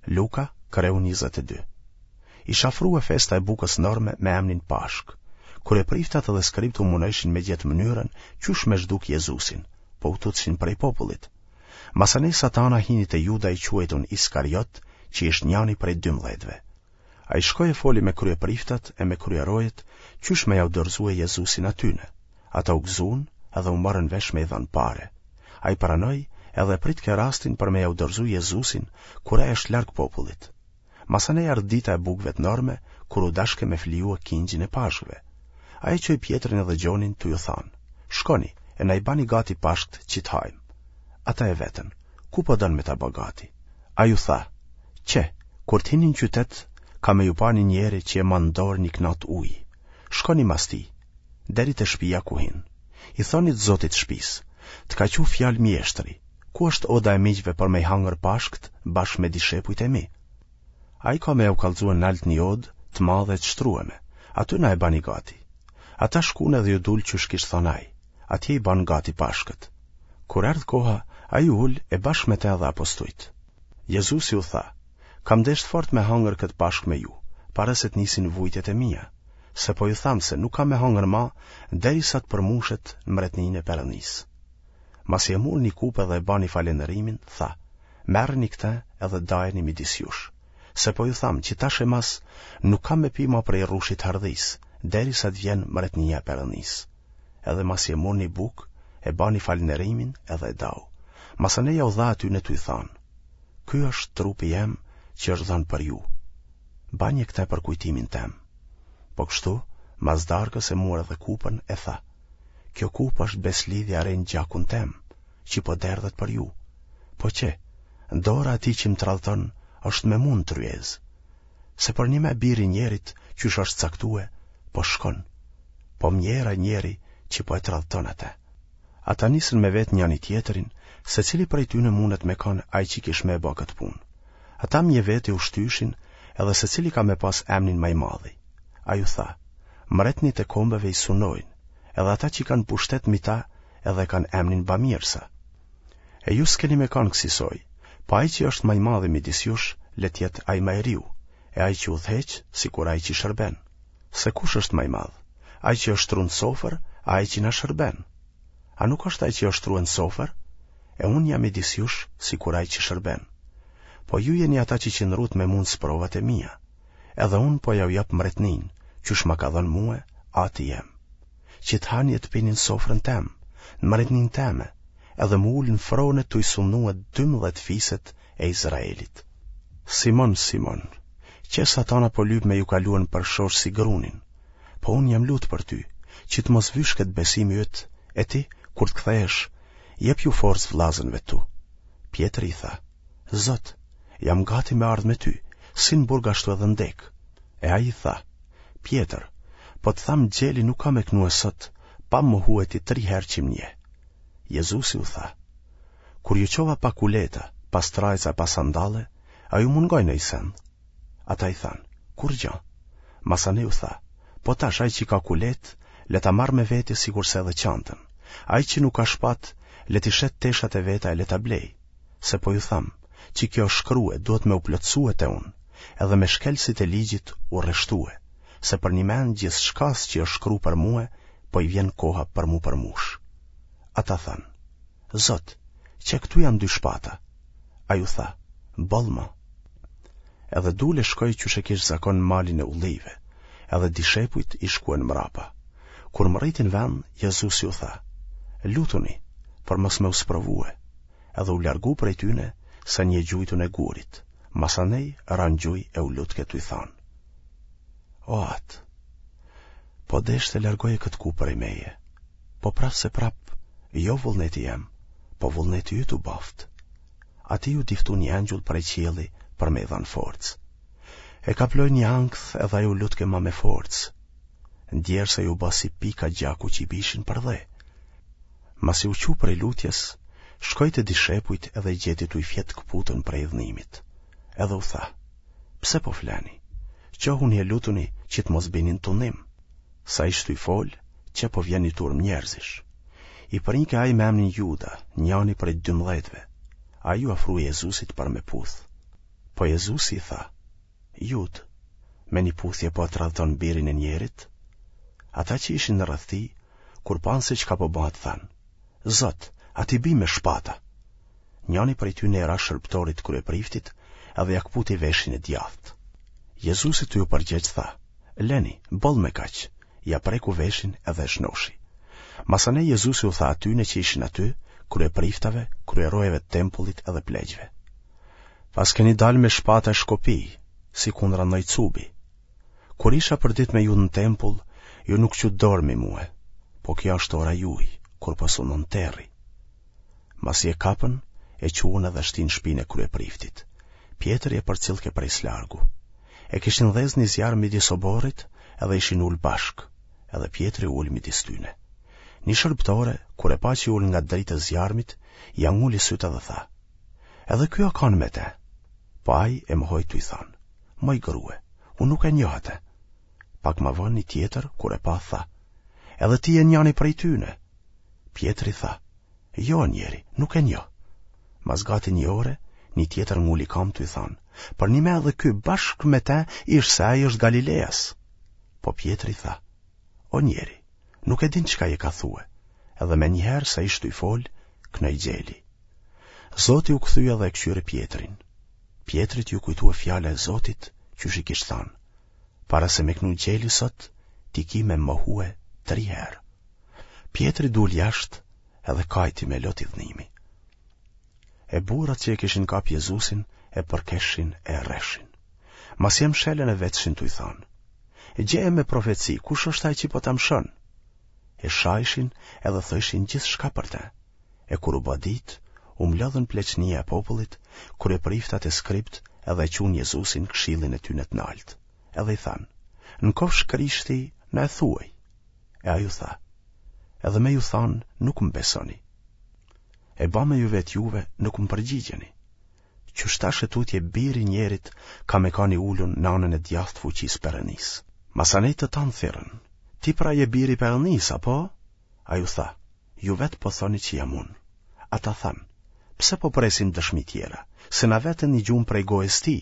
Luka, kreu 22. Ish afrue festa e bukës s'norme me emnin Pashkë. Kryepriftat edhe skribët u munojshin me gjetë mënyrën qysh me zhduk Jezusin, po u tutshin prej popullit. Masanej Satana hini te Juda i quajtun Iskariot, që ish njani prej dymdhetëve. Ai shkoi e foli me kryepriftat e me kryerojet qysh me jau dorëzue Jezusin atyne. Ata u gëzun edhe u morën vesh me i dhanë pare. Ai pranoi edhe e pritke rastin për me jau dorëzu Jezusin kur ai është larg popullit. Masanej erdh dita e bukëve të norme kur u dashke me flijue kingjin e Pashkëve. Ai e çoi Pjetrin edhe Gjonin tu ju thanë, Shkoni, e na i bani gati Pashkët që të hajmë. Ata e vetën, Ku po don me ta ba gati? Ai u tha, Qe, kur të hini në qytet, ka me ju pa një njeri që e man në dorë një knatë uji. Shkoni mas tij, deri te shpia ku hin. I thoni të zotit të shpisë, të ka çu fjalë mjeshtri, ku është oda e miqve për me i hangër Pashkët bashkë me dishepujt e mi? Ai ka me jau kallzue nalt një odë të madhe e të shtrueme, aty na e bani gati. Ata shkun edhe ju dul qysh kish thanë ai, atje i banë gati Pashkët. Kur erdh koha, ai u ul e bashkë me te edhe apostujt. Jezusi u tha, Kam deshtë fort me hangër këtë Pashkë me ju, para se të nisin vujtjet e mia, se po ju tham se nuk kam me hangër ma, derisa të përmushet në mretninë e Perëndisë. Masi e mur një kupë edhe e bani falënderimin, tha, Merreni këtë edhe dajeni midis jush. Se po ju tham që tash e mas nuk kam me pi ma prej rrushit të hardhisë, derisa të vjen mretnia e Perëndisë. Edhe masi e mur një bukë, e bani falënderimin edhe e dau. Masanej jau dha atyne tuj thanë, Ky është trupi jem që është dhënë për ju. Banje këtë për kujtimin tem. Po kështu, mas darkës e mur edhe kupën e tha, Kjo kupë është besëlidhja e re në gjakun tem, që po derdhet për ju. Po qe, dora e atij që më tradhton është me mu në tryezë. Se përnjëme biri i njerit qysh është caktue, po shkon, po mjerë ai njeri që po e tradhton atë. Ata nisën me vetë njani tjetrin, se cili prej tyne mundet me kanë ai që kish me e ba këtë punë. Ata mje veti u shtyshin edhe se cili ka me pas emnin ma i madhi. Ai u tha, mretnit e kombeve i sunojnë, edhe ata që kanë pushtet mi ta edhe e kanë emnin bamirësa. E ju s'keni me kanë kësisoj, po ai që është ma i madhi midis jush, le të jetë ai ma i riu, e ai që udhëheq, sikur ai që shërben. Se kush është ma i madh? Ai që është shtru në sofër, a ai që na shërben? A nuk është ai që është shtru në sofër? E unë jam midis jush, sikur ai që shërben. Po ju jeni ata që qëndrut me mu në sprovat e mia. Edhe unë po jau jap mretninë, qysh ma ka dhënë mue, ati jem. Që të hani e të pini në sofrën tem, në mretninë teme, edhe m'u ulë në frone tuj sundue 12 fiset e Izraelit. Simon, Simon, qe satana po lyp me ju kalue nëpër shoshë si grunin, po unë jam lutë për ty, që të mos vyshket besimi yt, e ti, kur të kthehesh, jepju forcë vllazënve tu. Pjetri i tha, Zot, jam gati me ardhë me ty, si në burg ashtu edhe në dekë. E ai i tha, Pjetër, po të tham gjeli nuk ka me knue sot, pa mohue ti tri herë që më njeh. Jezusi u tha, Kur ju çova pa kuleta, pa strajca e pa sandalle, a ju mungoi naj send? Ata i thanë, Kurgja. Masanej u tha, Po tash ai që ka kuletë, le ta marrë me vete sikurse edhe çantën. Ai që nuk ka shpatë, le t'i shet teshat e veta e le ta blejë. Se po ju tham, që kjo është shkrue, duhet me u plotësue te unë, edhe me shkelësit e ligjit u rreshtue, se përnjëmend gjithçkas që është shkru për mue, po i vjen koha për m'u përmush. Ata thanë, Zot, qe këtu janë dy shpata. Ai u tha, boll ma. Edhe dul e shkoi qysh e kish zakon në malin e ullijve, edhe dishepujt i shkuen mrapa. Kur mrritin n'vend, Jezusi u tha, lutuni, për mos me u sprovue, edhe u largu prej tyne, sa një e gjujtun e gurit, masanej ra në gjuj e u lutke tuj thanë. O atë, po deshte largoje këtë kupë prej meje, po prapë se prapë, jo vullneti jem, po vullneti yt u baftë. Atij iu diftu një engjull prej qielli për me i dhanë forcë. E kaploi një ankth edhe ai u lutke ma me forcë. Djersa iu ba si pika gjaku që i bishin për dhe. Masi u çu prej lutjes, shkoi te dishepujt edhe i gjeti tuj fjetë këputun prej idhnimit. Edhe u tha, pse po fleni? Çohuni e lutuni që të mos bini në tundim. Sa ish tuj folë, qe po vjen një turmë njerëzish. I prinke ai me emnin Juda, njani prej dymdhetëve. Ai iu afru Jezusit për me puthë. Po Jezusi i tha, Judë, me një puthje po e tradhton birin e njerit? Ata që ishin rreth tij, kur panë se çka po bëhet thanë, Zot, a t'i bijmë me shpata? Njani prej tyne i ra shërbëtorit të kryepriftit edhe ia këputi veshin e djathtë. Jezusi tu iu përgjegj tha, Leni, boll me kaq, ia preku veshin edhe e shnoshi. Masanej Jezusi u tha atyne që ishin aty, kryepriftave, kryerojeve të tempullit edhe pleqve. Paskeni dalë me shpata e shkopij, si kundra ndonjë cubi. Kur isha përditë me ju në tempull, ju nuk çutë dorë mi mue, po kjo është ora juj, kur po sundon terri. Masi e kapën, e çuan edhe e shtinë në shpinë e kryepriftit. Pjetri e përcillke prej së largu. E kishin dhezë një zjarr midis oborrit edhe ishin ulë bashkë, edhe Pjetri u ul midis tyne. Një shërbëtore, kur e pa që u ul ngat dritës zjarmit, ia nguli sytë edhe tha, Edhe ky a kanë me te. Po ai e mohoi tuj thanë, Moj grue, unë nuk e njoh atë. Pak ma vonë një tjetër, kur e pa, tha, Edhe ti je njani prej tyne. Pjetri tha, Jo, njeri, nuk e njoh. Mas gati një ore, një tjetër nguli kamë tuj thanë, Përnime edhe ky bashkë me te ish se ai është Galileas. Po Pjetri tha, O njeri, nuk e din çka je ka thue, edhe menjëherë sa ish tuj folë, knoi gjeli. Zoti u kthye dhe e këqyri Pjetrin. Pjetrit iu kujtua fjala e Zotit, qysh i kish thanë, para se me knu gjeli sot, ti ki me mohue tri herë. Pjetri dul jashtë edhe kajti me lot idhnimi. E burrat që e kishin kap Jezusin e përkeshin e rrehshin. Masi e mshelën e vetshin tuj thanë. Gjeje me profeci, kush është ai që po ta mshon? E shajshin edhe thojshin gjithçka për te. E kur u bë ditë, u mblodhën pleqnia e popullit, kryepriftat e skribt edhe e çunë Jezusin n'këshillin e tyne të naltë. Edhe i thanë, në kofsh Krishti, na e thuaj. E ai u tha, edhe me ju thanë, nuk më besoni. E ba me ju vetë juve, nuk më përgjigjeni. Qysh tash e tutje biri i njerit ka me kanë i ulun në anën e djathtë fuqisë Perënisë. Masanej të tanë thirrën, ti pra je biri i Perënisë, apo? Ai u tha, ju vetë po thoni që jam unë. Ata thanë, pse po presim dëshmi tjera, se na vetë e nigjum prej gojës tij?